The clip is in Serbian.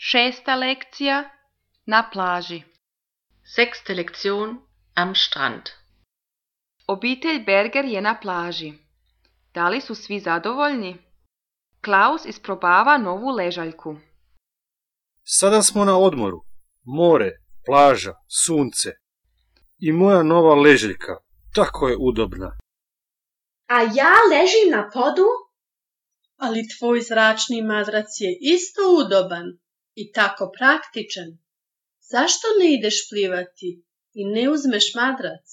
6. lekcija na plaži. 6. Lektion am Strand. Obitelj Berger je na plaži. Da li su svi zadovoljni? Klaus isprobava novu ležaljku. Sada smo na odmoru. More, plaža, sunce. I moja nova ležaljka. Tako je udobna. A ja ležim na podu? Ali tvoj zračni madrac je isto udoban i tako praktičan. Zašto ne ideš plivati i ne uzmeš madrac?